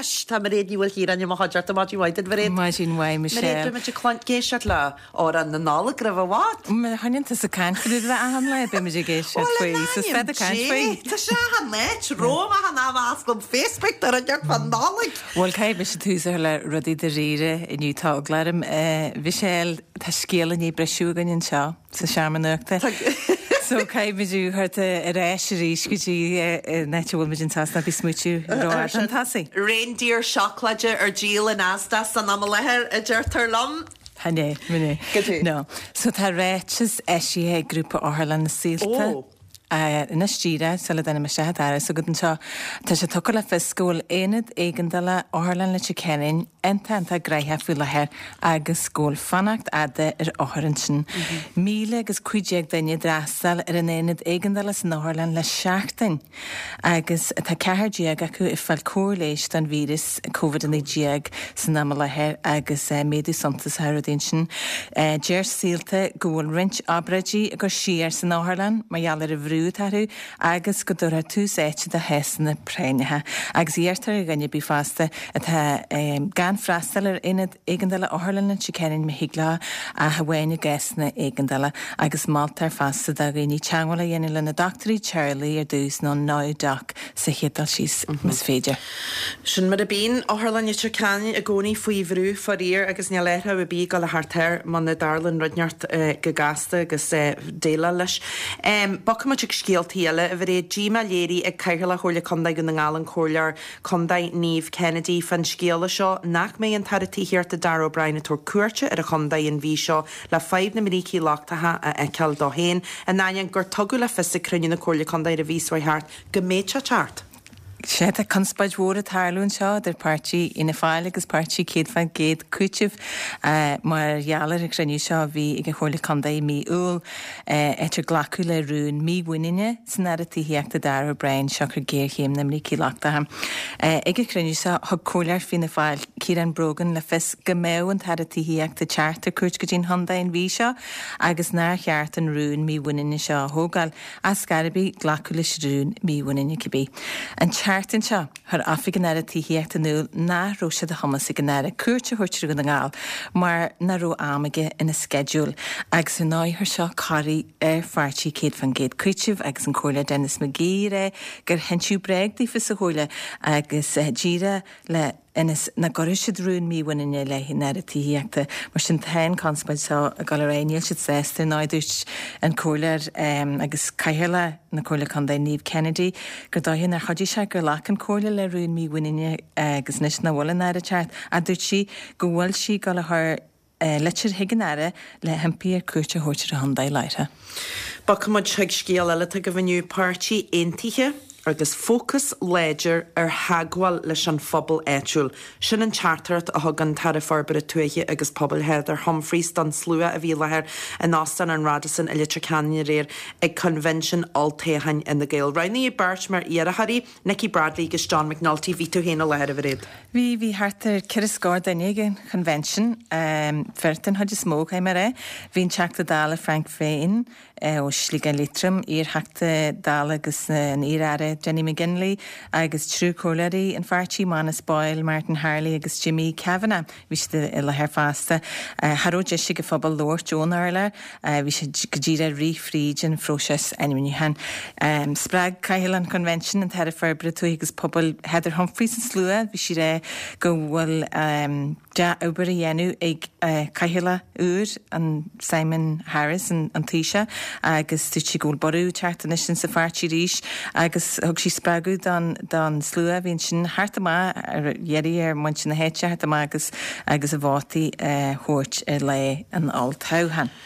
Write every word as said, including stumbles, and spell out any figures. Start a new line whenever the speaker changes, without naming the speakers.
Anois tá Mairéad Ní Mhaoilchiaráin i mo chuideachta. Maidin mhaith duit, Mairéad.
Maidin mhaith,
Mairéad,
Michelle.
beidh muid ag éisteacht le amhrán na Nollag roimh i bhfad.
Má choinníonn tusa ag caint faoi rud achan lá, beidh muid ag éisteacht faoi. So stad ag caint faoi.
Tá sé achan áit, romham achan am a osclaím Facebook tá rud inteacht fán Nollaig.
Bhuel, caithfidh mise tús a chur le rudaí dáiríre inniu tá eagla orm. Michelle, tá scéal i ndiaidh briseadh againn anseo sa seomra nuachta. So caithfidh muid a chur ar ais arís go dtí an áit a bhfuil muid anseo ná bí smúitiú rófhada chun tosaigh.
Reindeer seacláide ar díol in Asda san am i láthair, a deirtear liom.
Chan é, min é.
Go dtí.
No. So tá ráiteas eisithe ag grúpa Otharlann na Saolta.
Ó.
Anois díreach sula dtáinig mé isteach an doras agat anseo, tá sé tugtha le fios go bhfuil aonad éigeandála Otharlann Leitir Ceanainn iontach iontach gnaitheach faoi láthair agus go bhfuil fanacht fhada ar othair ansin. Míle agus cúig déag duine ag freastal ar an aonad éigeandála san otharlann le seachtain agus tá ceathair déag acu ag fáil cóir leighis don víreas Covid a naoi déag san am i láthair agus méadú suntasach ar rudaí ansin. Deir Saolta go bhfuil roinnt obráidí á gcur siar san otharlann mar gheall ar an bhrú atá orthu agus go dtabharfar tús áite do chásanna práinneacha. Agus iarrtar ar dhuine ar bith fosta atá gan freastal ar aonad éigeandála Otharlann Leitir Ceanainn má thig leo ach amháin i gcásanna éigeandála agus moltar fosta do dhaoine teagmháil a dhéanamh lena dochtúirí teaghlaigh ar dtús nó NowDoc sa chéad dul síos más féidir.
Sin mar a bíonn Otharlann Leitir Ceanainn i gcónaí faoi bhrú faraor agus níl athrú ar bith ag dul a theacht air muna dtarlaíonn rud inteacht go gasta agus déileáil leis. Bogfaidh muid ag scéaltaí eile, a Mhairéad. Díomá léirithe ag Cathaoirleach Chomhairle Contae Dhún na nGall an Comhairleoir Contae Niamh Kennedy fán scéala seo nach mbeidh an tAire Tithíochta Darragh O'Brien ag tabhairt cuairte ar an chontae an mhí seo le fadhb na mbrící lochtacha a fheiceáil dó féin, in ainneoin gur tugadh le fios ag cruinniú na Comhairle Contae ar an mhí seo thart go mbeadh sé ag teacht.
Sea, tá conspóid mhór ag tarlú anseo idir páirtí Fhianna Fáil agus páirtí céad faoin gcéad Cúiteamh mar gheall ar an chruinniú seo a bhí ag an Chomhairle Contae i mí Iúil, áit ar glacadh le rún mímhuiníne san Aire Tithíochta Darragh O'Brien siocair géarchéim na mbrící lochtacha. Ag an chruinniú seo, thug Comhairleoir Fianna Fáil Ciarán Brogan le fios go mbeadh an tAire Tithíochta ag teacht ar cuairt go dtí an chontae an mhí seo agus nár cheart an rún mímhuiníne seo a thógáil. Ar scor ar bith, glacadh leis an rún mímhuiníne cibé. An tseachtain seo, chuir Oifig an Aire Tithíochta in iúl nach raibh sé de chumas ag an Aire cuairt a thabhairt ar Dhún na nGall mar nach raibh am aige ina sceideal agus ar ndóigh chuir seo corraí ar pháirtí céad faoin gcéad Cúiteamh agus an Comhairleoir Denis McGee ag rá gur hinseadh bréag daofa sa Chomhairle agus díreach le ionas nach gcuirfeadh siad rún mímhuiníne i leith an Aire Tithíochta. Mar sin tá an chonspóid seo ag dul ar aghaidh. Níl siad sásta, ar ndóigh, dúirt an Comhairleoir agus Cathaoirleach na Comhairle Contae Niamh Kennedy gur dóiche nár chuidigh sé gur ghlac an Chomhairle le rún mímhuiníne agus anois nach bhfuil an Aire ag teacht. Ach dúirt sí go bhfuil sí ag dul a chur litir chuig an Aire le himpí air cuairt a thabhairt ar an chontae láithreach.
Bogfaidh muid chuig scéal eile atá agaibh inniu, Páirtí Aontaithe agus fócas láidir ar theagmháil leis an phobal áitiúil. Sin an teachtaireacht a thug an tAire Forbartha Tuaithe agus Pobail Heather Humphreys don slua a bhí i láthair in Óstán an Radisson i Leitir Ceanainn aréir ag Coinbhinsiún Olltoghcháin Fhine Gael. Roghnaíodh beirt mar iarrthóirí, Nikki Bradley agus John McNulty. Bhí tú féin i láthair, a Mhairéad.
Bhí, bhí thart ar ceithre scór duine ag an Choinbhinsiún, fir den chuid is mó, caithfidh mé a rá. Bhí an Teachta Dála Frank Feighan, ó Shligeach Liatroim, iar-Theachta Dála agus an iar-Aire Jenny McGinley agus triúr comhairleoirí an pháirtí, Manus Boyle, Martin Harley agus Jimmy Kavanagh. Bhí siad i láthair fosta. Cha raibh deis ag an phobal labhairt ón urlár, bhí siad go díreach ag rith fríd an phróiseas ainmniúcháin. Spreag Cathaoirleach an Choinbhinsiúin, an tAire Forbartha Tuaithe agus Pobail Heather Humphreys an slua. Bhí sí ag rá go bhfuil dea-obair á dhéanamh ag Cathaoirleach úr, an Simon Harris, an Taoiseach, agus dúirt sí go bhfuil borradh ag teacht anois insa pháirtí arís agus thug sí spreagadh don don slua a bhí ansin theacht amach ar iarraidh ar mhuintir na háite theacht amach agus agus a vótaí a thabhairt ar lá an olltoghcháin.